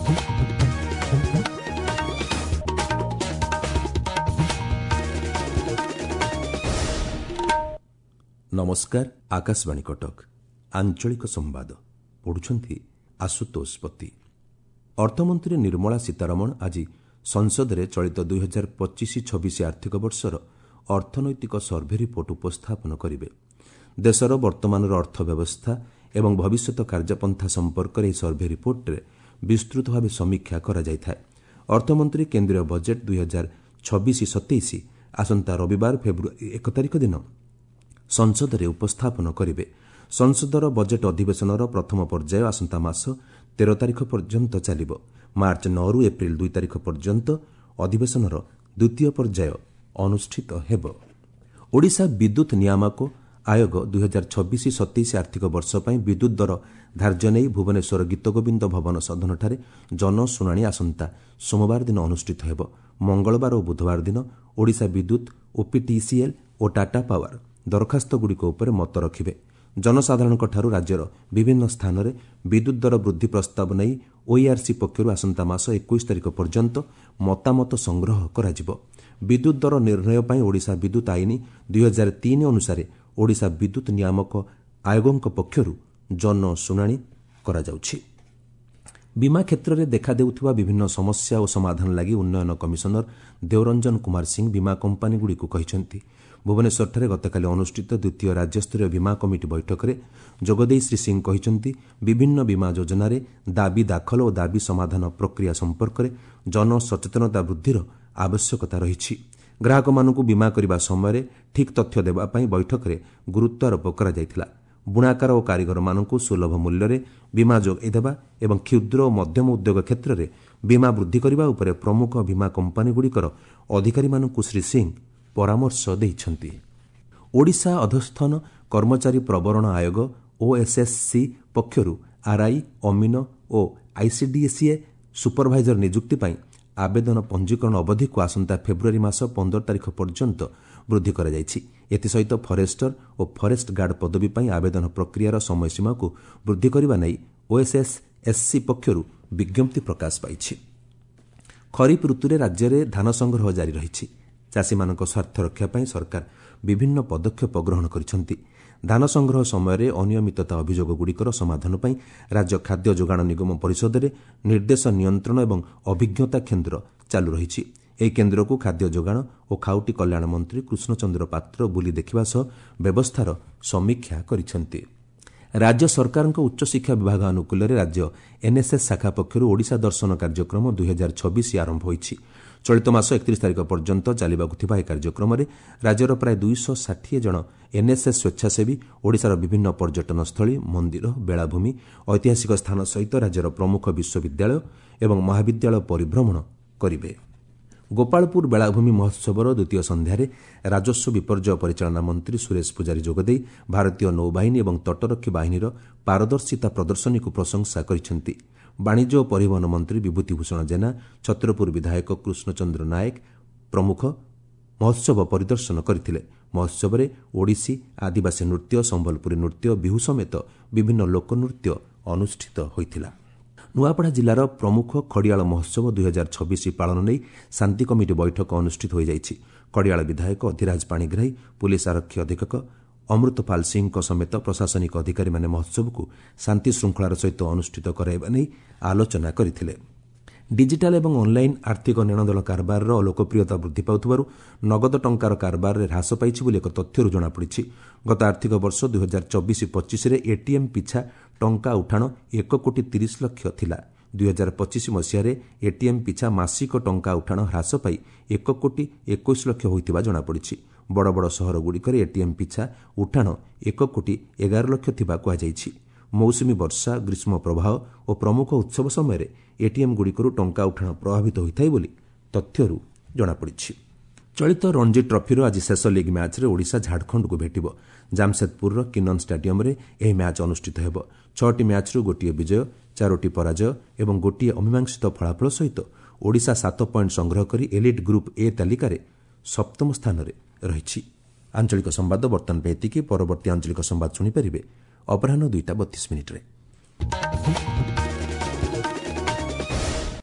ନମସ୍କାର, ଆକାଶବାଣୀ କଟକ। ଆଞ୍ଚଳିକ ସମ୍ବାଦ ପଢୁଛନ୍ତି ଆଶୁତୋଷ ପତି। ଅର୍ଥମନ୍ତ୍ରୀ ନିର୍ମଳା ସୀତାରମଣ ଆଜି ସଂସଦରେ ଚଳିତ 2025-26 ଆର୍ଥିକ ବର୍ଷର ଅର୍ଥନୈତିକ ସର୍ଭେ ରିପୋର୍ଟ ଉପସ୍ଥାପନ କରିବେ। ଦେଶର ବର୍ତ୍ତମାନର ଅର୍ଥ ବ୍ୟବସ୍ଥା ଏବଂ ଭବିଷ୍ୟତ କାର୍ଯ୍ୟପନ୍ଥା ସମ୍ପର୍କରେ ଏହି ସର୍ଭେ ରିପୋର୍ଟରେ ବିସ୍ତୃତ ଭାବେ ସମୀକ୍ଷା କରାଯାଇଥାଏ। ଅର୍ଥମନ୍ତ୍ରୀ କେନ୍ଦ୍ରୀୟ ବଜେଟ୍ 2026-27 ଆସନ୍ତା ରବିବାର ଫେବୃଆରୀ 1 ତାରିଖ ଦିନ ସଂସଦରେ ଉପସ୍ଥାପନ କରିବେ। ସଂସଦର ବଜେଟ୍ ଅଧିବେଶନର ପ୍ରଥମ ପର୍ଯ୍ୟାୟ ଆସନ୍ତା ମାସ 13 ତାରିଖ ପର୍ଯ୍ୟନ୍ତ ଚାଲିବ। ମାର୍ଚ୍ଚ 9ରୁ ଏପ୍ରିଲ 2 ତାରିଖ ପର୍ଯ୍ୟନ୍ତ ଅଧିବେଶନର ଦ୍ୱିତୀୟ ପର୍ଯ୍ୟାୟ ଅନୁଷ୍ଠିତ ହେବ। ଓଡ଼ିଶା ବିଦ୍ୟୁତ୍ ନିୟାମକ ଆୟୋଗ 2026-27 ଆର୍ଥିକ ବର୍ଷ ପାଇଁ ବିଦ୍ୟୁତ୍ ଦର ଧାର୍ଯ୍ୟ ନେଇ ଭୁବନେଶ୍ୱର ଗୀତଗୋବିନ୍ଦ ଭବନ ସଦନଠାରେ ଜନଶୁଣାଣି ଆସନ୍ତା ସୋମବାର ଦିନ ଅନୁଷ୍ଠିତ ହେବ। ମଙ୍ଗଳବାର ଓ ବୁଧବାର ଦିନ ଓଡ଼ିଶା ବିଦ୍ୟୁତ୍, ଓପିଟିସିଏଲ୍ ଓ ଟାଟା ପାୱାର ଦରଖାସ୍ତଗୁଡ଼ିକ ଉପରେ ମତ ରଖିବେ। ଜନସାଧାରଣଙ୍କଠାରୁ ରାଜ୍ୟର ବିଭିନ୍ନ ସ୍ଥାନରେ ବିଦ୍ୟୁତ୍ ଦର ବୃଦ୍ଧି ପ୍ରସ୍ତାବ ନେଇ ଓଇଆର୍ସି ପକ୍ଷରୁ ଆସନ୍ତା ମାସ 21 ତାରିଖ ପର୍ଯ୍ୟନ୍ତ ମତାମତ ସଂଗ୍ରହ କରାଯିବ। ବିଦ୍ୟୁତ୍ ଦର ନିର୍ଣ୍ଣୟ ପାଇଁ ଓଡ଼ିଶା ବିଦ୍ୟୁତ୍ ଆଇନ 2003 ଅନୁସାରେ ଓଡ଼ିଶା ବିଦ୍ୟୁତ୍ ନିୟାମକ ଆୟୋଗଙ୍କ ପକ୍ଷରୁ ଜନଶୁଣାଣି କରାଯାଉଛି। ବୀମା କ୍ଷେତ୍ରରେ ଦେଖାଦେଉଥିବା ବିଭିନ୍ନ ସମସ୍ୟା ଓ ସମାଧାନ ଲାଗି ଉନ୍ନୟନ କମିଶନର ଦେଓରଞ୍ଜନ କୁମାର ସିଂ ବୀମା କମ୍ପାନୀଗୁଡ଼ିକୁ କହିଛନ୍ତି। ଭୁବନେଶ୍ୱରଠାରେ ଗତକାଲି ଅନୁଷ୍ଠିତ ଦ୍ୱିତୀୟ ରାଜ୍ୟସ୍ତରୀୟ ବୀମା କମିଟି ବୈଠକରେ ଯୋଗଦେଇ ଶ୍ରୀ ସିଂ କହିଛନ୍ତି, ବିଭିନ୍ନ ବୀମା ଯୋଜନାରେ ଦାବି ଦାଖଲ ଓ ଦାବି ସମାଧାନ ପ୍ରକ୍ରିୟା ସମ୍ପର୍କରେ ଜନସଚେତନତା ବୃଦ୍ଧିର ଆବଶ୍ୟକତା ରହିଛି। ଗ୍ରାହକମାନଙ୍କୁ ବୀମା କରିବା ସମୟରେ ଠିକ୍ ତଥ୍ୟ ଦେବା ପାଇଁ ବୈଠକରେ ଗୁରୁତ୍ୱାରୋପ କରାଯାଇଥିଲା। ବୁଣାକାର ଓ କାରିଗରମାନଙ୍କୁ ସୁଲଭ ମୂଲ୍ୟରେ ବୀମା ଯୋଗାଇ ଦେବା ଏବଂ କ୍ଷୁଦ୍ର ଓ ମଧ୍ୟମ ଉଦ୍ୟୋଗ କ୍ଷେତ୍ରରେ ବୀମା ବୃଦ୍ଧି କରିବା ଉପରେ ପ୍ରମୁଖ ବୀମା କମ୍ପାନୀଗୁଡ଼ିକର ଅଧିକାରୀମାନଙ୍କୁ ଶ୍ରୀ ସିଂ ପରାମର୍ଶ ଦେଇଛନ୍ତି। ଓଡ଼ିଶା ଅଧସ୍ଥନ କର୍ମଚାରୀ ପ୍ରବରଣ ଆୟୋଗ ଓଏସ୍ଏସ୍ସି ପକ୍ଷରୁ ଆର୍ଆଇ, ଅମିନ ଓ ଆଇସିଡିସିଏ ସୁପରଭାଇଜର ନିଯୁକ୍ତି ପାଇଁ ଆବେଦନ ପଞ୍ଜୀକରଣ ଅବଧିକୁ ଆସନ୍ତା ଫେବୃଆରୀ ମାସ 15 ତାରିଖ ପର୍ଯ୍ୟନ୍ତ ବୃଦ୍ଧି କରାଯାଇଛି। ଏଥିସହିତ ଫରେଷ୍ଟର ଓ ଫରେଷ୍ଟ ଗାର୍ଡ ପଦବୀ ପାଇଁ ଆବେଦନ ପ୍ରକ୍ରିୟାର ସମୟସୀମାକୁ ବୃଦ୍ଧି କରିବା ନେଇ ଓଏସ୍ଏସ୍ଏସ୍ସି ପକ୍ଷରୁ ବିଜ୍ଞପ୍ତି ପ୍ରକାଶ ପାଇଛି। ଖରିଫ ଋତୁରେ ରାଜ୍ୟରେ ଧାନ ସଂଗ୍ରହ ଜାରି ରହିଛି। ଚାଷୀମାନଙ୍କ ସ୍ୱାର୍ଥ ରକ୍ଷା ପାଇଁ ସରକାର ବିଭିନ୍ନ ପଦକ୍ଷେପ ଗ୍ରହଣ କରିଛନ୍ତି। ଧାନ ସଂଗ୍ରହ ସମୟରେ ଅନିୟମିତତା ଅଭିଯୋଗଗୁଡ଼ିକର ସମାଧାନ ପାଇଁ ରାଜ୍ୟ ଖାଦ୍ୟ ଯୋଗାଣ ନିଗମ ପରିଷଦରେ ନିର୍ଦ୍ଦେଶ ନିୟନ୍ତ୍ରଣ ଏବଂ ଅଭିଜ୍ଞତା କେନ୍ଦ୍ର ଚାଲୁ ରହିଛି। ଏହି କେନ୍ଦ୍ରକୁ ଖାଦ୍ୟ ଯୋଗାଣ ଓ ଖାଉଟି କଲ୍ୟାଣ ମନ୍ତ୍ରୀ କୃଷ୍ଣଚନ୍ଦ୍ର ପାତ୍ର ବୁଲି ଦେଖିବା ସହ ବ୍ୟବସ୍ଥାର ସମୀକ୍ଷା କରିଛନ୍ତି। ରାଜ୍ୟ ସରକାରଙ୍କ ଉଚ୍ଚଶିକ୍ଷା ବିଭାଗ ଆନୁକୂଲ୍ୟରେ ରାଜ୍ୟ ଏନ୍ଏସ୍ଏସ୍ ଶାଖା ପକ୍ଷରୁ ଓଡ଼ିଶା ଦର୍ଶନ କାର୍ଯ୍ୟକ୍ରମ 2026 ଆରମ୍ଭ ହୋଇଛି। ଚଳିତ ମାସ 31 ତାରିଖ ପର୍ଯ୍ୟନ୍ତ ଚାଲିବାକୁ ଥିବା ଏହି କାର୍ଯ୍ୟକ୍ରମରେ ରାଜ୍ୟର ପ୍ରାୟ 260 ଜଣ ଏନ୍ଏସ୍ଏସ୍ ସ୍ୱେଚ୍ଛାସେବୀ ଓଡ଼ିଶାର ବିଭିନ୍ନ ପର୍ଯ୍ୟଟନସ୍ଥଳୀ, ମନ୍ଦିର, ବେଳାଭୂମି, ଐତିହାସିକ ସ୍ଥାନ ସହିତ ରାଜ୍ୟର ପ୍ରମୁଖ ବିଶ୍ୱବିଦ୍ୟାଳୟ ଏବଂ ମହାବିଦ୍ୟାଳୟ ପରିଭ୍ରମଣ କରିବେ। ଗୋପାଳପୁର ବେଳାଭୂମି ମହୋତ୍ସବର ଦ୍ୱିତୀୟ ସନ୍ଧ୍ୟାରେ ରାଜସ୍ୱ ବିପର୍ଯ୍ୟୟ ପରିଚାଳନା ମନ୍ତ୍ରୀ ସୁରେଶ ପୂଜାରୀ ଯୋଗଦେଇ ଭାରତୀୟ ନୌବାହିନୀ ଏବଂ ତଟରକ୍ଷୀ ବାହିନୀର ପାରଦର୍ଶିତା ପ୍ରଦର୍ଶନୀକୁ ପ୍ରଶଂସା କରିଛନ୍ତି। ବାଣିଜ୍ୟ ଓ ପରିବହନ ମନ୍ତ୍ରୀ ବିଭୂତି ଭୂଷଣ ଜେନା, ଛତ୍ରପୁର ବିଧାୟକ କୃଷ୍ଣଚନ୍ଦ୍ର ନାୟକ ପ୍ରମୁଖ ମହୋତ୍ସବ ପରିଦର୍ଶନ କରିଥିଲେ। ମହୋତ୍ସବରେ ଓଡ଼ିଶୀ, ଆଦିବାସୀ ନୃତ୍ୟ, ସମ୍ବଲପୁରୀ ନୃତ୍ୟ, ବିହୁ ସମେତ ବିଭିନ୍ନ ଲୋକନୃତ୍ୟ ଅନୁଷ୍ଠିତ ହୋଇଥିଲା। ନୂଆପଡ଼ା ଜିଲ୍ଲାର ପ୍ରମୁଖ ଖଡ଼ିଆଳ ମହୋତ୍ସବ 2026 ପାଳନ ନେଇ ଶାନ୍ତି କମିଟି ବୈଠକ ଅନୁଷ୍ଠିତ ହୋଇଯାଇଛି। ଖଡ଼ିଆଳ ବିଧାୟକ ଅଧିରାଜ ପାଣିଗ୍ରାହୀ, ପୁଲିସ୍ ଆରକ୍ଷୀ ଅଧୀକ୍ଷକ ଅମୃତପାଲ ସିଂଙ୍କ ସମେତ ପ୍ରଶାସନିକ ଅଧିକାରୀମାନେ ମହୋତ୍ସବକୁ ଶାନ୍ତି ଶୃଙ୍ଖଳାର ସହିତ ଅନୁଷ୍ଠିତ କରାଇବା ନେଇ ଆଲୋଚନା କରିଥିଲେ। ଡିଜିଟାଲ ଏବଂ ଅନ୍ଲାଇନ୍ ଆର୍ଥିକ ନେଣଦେଣ କାରବାରର ଲୋକପ୍ରିୟତା ବୃଦ୍ଧି ପାଉଥିବାରୁ ନଗଦ ଟଙ୍କାର କାରବାରରେ ହ୍ରାସ ପାଇଛି ବୋଲି ଏକ ତଥ୍ୟରୁ ଜଣାପଡ଼ିଛି। ଗତ ଆର୍ଥିକ ବର୍ଷ 2024-25ରେ ଏଟିଏମ୍ ପିଛା ଟଙ୍କା ଉଠାଣ 1 କୋଟି 30 ଲକ୍ଷ ଥିଲା। 2025 ମସିହାରେ ଏଟିଏମ୍ ପିଛା ମାସିକ ଟଙ୍କା ଉଠାଣ ହ୍ରାସ ପାଇ 1 କୋଟି 21 ଲକ୍ଷ ହୋଇଥିବା ଜଣାପଡ଼ିଛି। ବଡ଼ ବଡ଼ ସହରଗୁଡ଼ିକରେ ଏଟିଏମ୍ ପିଛା ଉଠାଣ 1 କୋଟି 11 ଲକ୍ଷ ଥିବା କୁହାଯାଇଛି। ମୌସୁମୀ ବର୍ଷା, ଗ୍ରୀଷ୍ମ ପ୍ରବାହ ଓ ପ୍ରମୁଖ ଉତ୍ସବ ସମୟରେ ଏଟିଏମ୍ଗୁଡ଼ିକରୁ ଟଙ୍କା ଉଠାଣ ପ୍ରଭାବିତ ହୋଇଥାଏ ବୋଲି ତଥ୍ୟରୁ ଜଣାପଡ଼ିଛି। ଚଳିତ ରଣଜୀ ଟ୍ରଫିର ଆଜି ଶେଷ ଲିଗ୍ ମ୍ୟାଚ୍ରେ ଓଡ଼ିଶା ଝାଡ଼ଖଣ୍ଡକୁ ଭେଟିବ। ଜାମସେଦପୁରର କିନନ୍ ଷ୍ଟାଡିୟମରେ ଏହି ମ୍ୟାଚ୍ ଅନୁଷ୍ଠିତ ହେବ। 6ଟି ମ୍ୟାଚ୍ରୁ ଗୋଟିଏ ବିଜୟ, 4ଟି ପରାଜୟ ଏବଂ ଗୋଟିଏ ଅମୀମାଂସିତ ଫଳାଫଳ ସହିତ ଓଡ଼ିଶା 7 ପଏଣ୍ଟ ସଂଗ୍ରହ କରି ଏଲିଟ୍ ଗ୍ରୁପ୍ ଏ ତାଲିକାରେ ସପ୍ତମ ସ୍ଥାନରେ ରହିଛି। ଆଞ୍ଚଳିକ ସମ୍ବାଦ ବର୍ତ୍ତମାନ ପାଇଁ ଏତିକି। ପରବର୍ତ୍ତୀ ଆଞ୍ଚଳିକ ସମ୍ବାଦ ଶୁଣିପାରିବେ ଅପରାହ୍ନ 2ଟା 32 ମିନିଟ୍ରେ।